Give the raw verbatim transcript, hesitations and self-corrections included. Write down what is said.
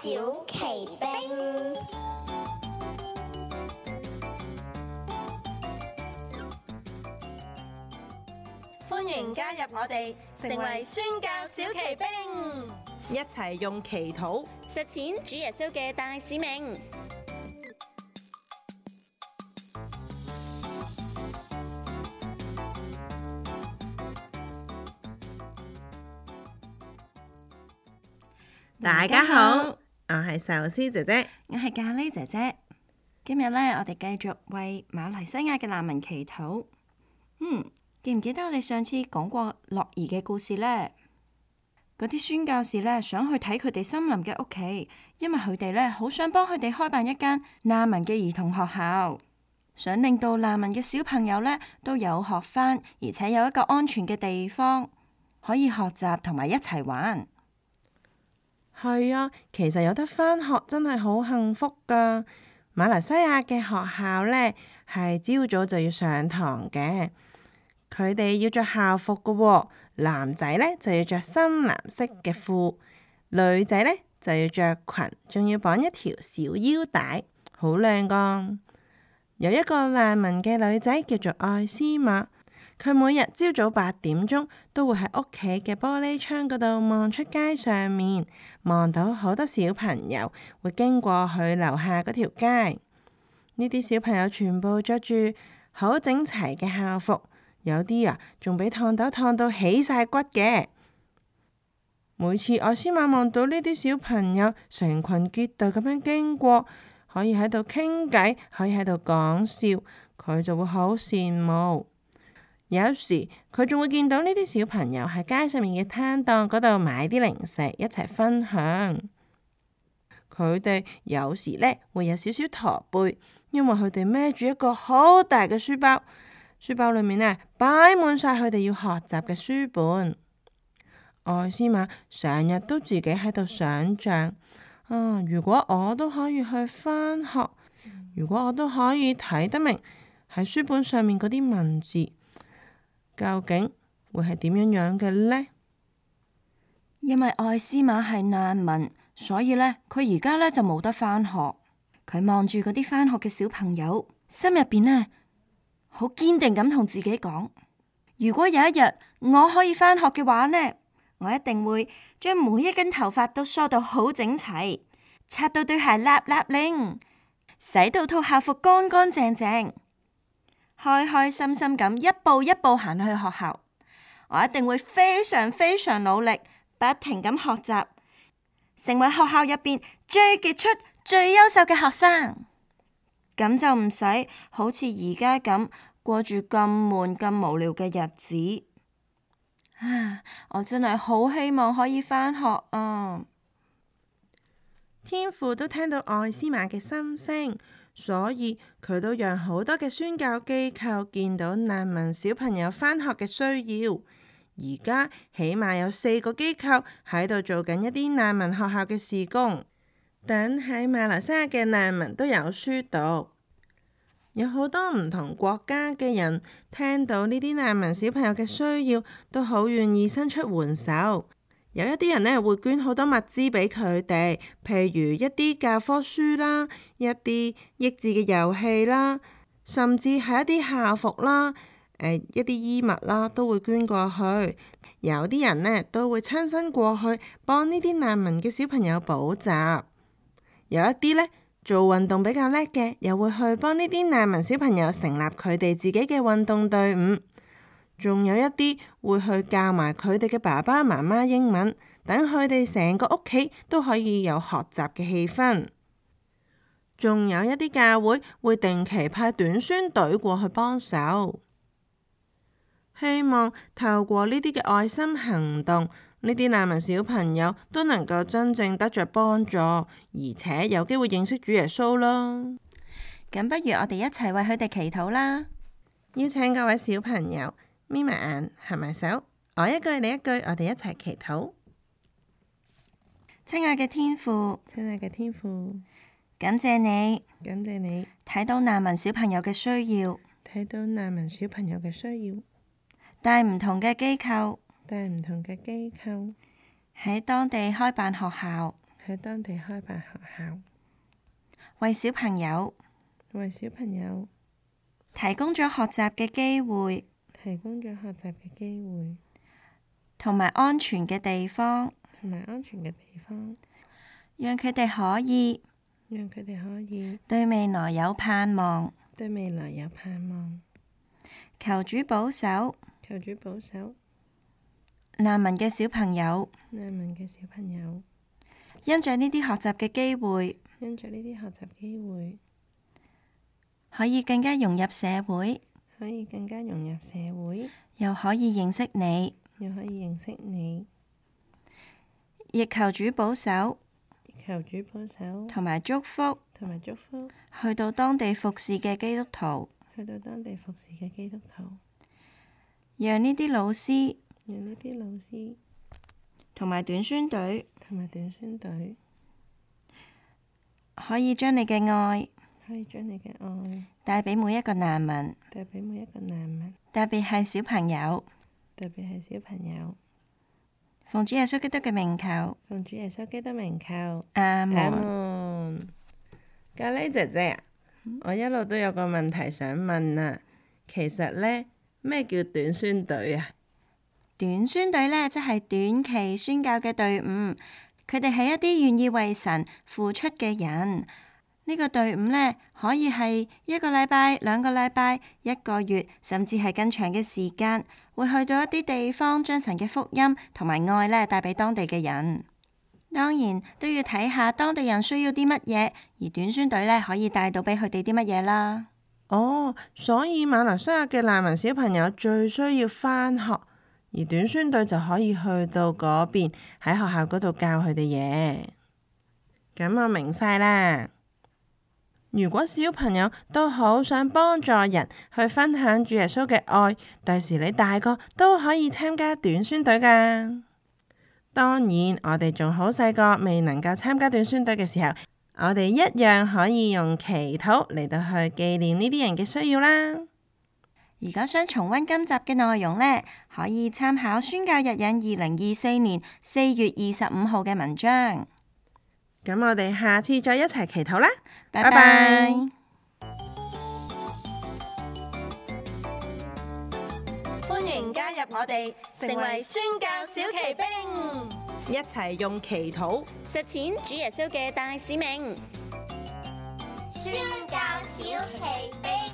小奇兵，歡迎加入我哋，成為宣教小奇兵，一齊用祈禱實踐主耶穌嘅大使命。大家好，我係壽司姐姐，我係咖喱姐姐。今日呢，我哋繼續為馬來西亞嘅難民祈禱。嗯，記唔記得我哋上次講過樂兒嘅故事呢？嗰啲宣教士呢，想去睇佢哋森林嘅屋企，因為佢哋呢好想幫佢哋開辦一間難民嘅兒童學校，想令到難民嘅小朋友呢都有學返，而且有一個安全嘅地方可以學習同埋一齊玩。係啊，其實有得返學真係好幸福㗎。馬來西亞嘅學校呢，係朝早就要上堂嘅，佢哋要着校服㗎喎。男仔呢就要着深藍色嘅褲，女仔呢就要着裙，仲要綁一條小腰帶，好靚㗎。有一個難民嘅女仔叫做愛斯瑪，佢每日朝早八點鐘都會喺屋企嘅玻璃窗嗰度望出街上面，望到好多小朋友會經過佢樓下嗰條街。呢啲小朋友全部着住好整齊嘅校服，有啲啊仲俾燙斗燙到起晒骨嘅。每次愛斯瑪望到呢啲小朋友成群結隊咁樣經過，可以喺度傾偈，可以喺度講笑，佢就會好羨慕。有時佢仲會見到呢啲小朋友喺街上面嘅攤檔嗰度買啲零食一齊分享。佢哋有時呢會有少少駝背，因為佢哋孭住一個好大嘅書包，書包裏面呢擺滿晒佢哋要學習嘅書本。愛斯瑪成日都自己喺度想像，啊，如果我都可以去返學，如果我都可以睇得明喺書本上面嗰啲文字，究竟會係點樣樣嘅呢？因為愛斯瑪係難民，所以呢，佢而家呢就冇得返學。佢望住嗰啲返學嘅小朋友，心入邊呢好堅定咁同自己講：如果有一日我可以返學嘅話呢，我一定會將每一根頭髮都梳到好整齊，擦到對鞋立立令，洗到套校服乾乾淨淨。開開心心咁一步一步行去學校，我一定會非常非常努力，不停咁學習，成為學校入邊最傑出、最優秀嘅學生。咁就唔使好似而家咁過住咁悶、咁無聊嘅日子。啊！我真係好希望可以返學啊！天父都聽到愛斯瑪嘅心聲。所以佢都讓好多嘅宣教機構見到難民小朋友返學嘅需要。而家起碼有四個機構喺度做緊一啲難民學校嘅事工，等喺馬來西亞嘅難民都有書讀。有好多唔同國家嘅人聽到呢啲難民小朋友嘅需要，都好願意伸出援手。有一啲人呢會捐好多物資俾佢哋，譬如一啲教科書啦，一啲益智嘅遊戲啦，甚至係一啲校服啦，呃、一啲衣物啦，都會捐過去。有啲人呢都會親身過去幫呢啲難民嘅小朋友補習。有一啲呢做運動比較叻嘅，又會去幫呢啲難民小朋友成立佢哋自己嘅運動隊伍。仲有一啲會去教埋佢哋嘅爸爸媽媽英文，等佢哋成個屋企都可以有學習嘅氣氛。仲有一啲教會會定期派短宣隊過去幫手，希望透過呢啲嘅愛心行動，呢啲難民小朋友都能夠真正得着幫助，而且有機會認識主耶穌咯。咁不如我哋一齊為佢哋祈禱啦！邀請各位小朋友眯埋眼，合埋手，我一句你一句，我哋一齊祈禱。親愛嘅天父，親愛嘅天父，感謝你，感謝你睇到難民小朋友嘅需要，睇到難民小朋友嘅需要，帶唔同嘅機構，帶唔同嘅機構喺當地開辦學校，喺當地開辦學校，為小朋友為小朋友提供咗學習嘅機會，提供咗學習嘅機會，同埋安全嘅地方，同埋安全嘅地方，讓佢哋可以讓佢哋可以對未來有盼望。對未來有盼望。求主保守求主保守難民嘅小朋友，難民嘅小朋友，因着呢啲學習嘅機會，因着呢啲學習機會，可以更加融入社會，可以更加融入社會，又可以認識你。又可以認識你。亦求主保守求主保守同埋祝福同埋祝福去到當地服侍嘅基督徒，去到當地服侍嘅基督徒，讓呢啲老師讓呢啲老師同埋短宣隊同埋短宣隊可以將你嘅愛可以將你嘅愛帶俾每一個難民，帶俾每一個難民，特別係小朋友。特別係小朋友。奉主耶穌基督嘅名求，奉主耶穌基督名求，阿阿門。門。咖喱姐姐啊，我一路都有個問題想問啊。其實呢，咩叫短宣隊啊？短宣隊呢，即係短期宣教嘅隊伍，佢哋係一啲願意為神付出嘅人。呢個隊伍呢，可以係一個禮拜、兩個禮拜、一個月，甚至係更長嘅時間，會去到一啲地方，將神嘅福音同埋愛呢帶俾當地嘅人。當然都要睇下當地人需要啲乜嘢，而短宣隊呢，可以帶到俾佢哋啲乜嘢啦。哦，所以馬來西亞嘅難民小朋友最需要返學，而短宣隊就可以去到嗰邊喺學校嗰度教佢哋嘢。咁我明晒啦。如果小朋友都好想幫助人去分享主耶穌嘅愛，第時你大個都可以參加短宣隊㗎。當然，我哋仲好細個，未能夠參加短宣隊嘅時候，我哋一樣可以用祈禱嚟到去紀念呢啲人嘅需要啦。如果想重溫今集嘅內容呢，可以參考宣教日引二零二四年四月二十五號嘅文章。咁我哋下次再一齊祈禱啦，拜拜。拜拜。歡迎加入我哋，成為宣教小騎兵，一齊用祈禱實踐主耶穌嘅大使命。宣教小奇兵。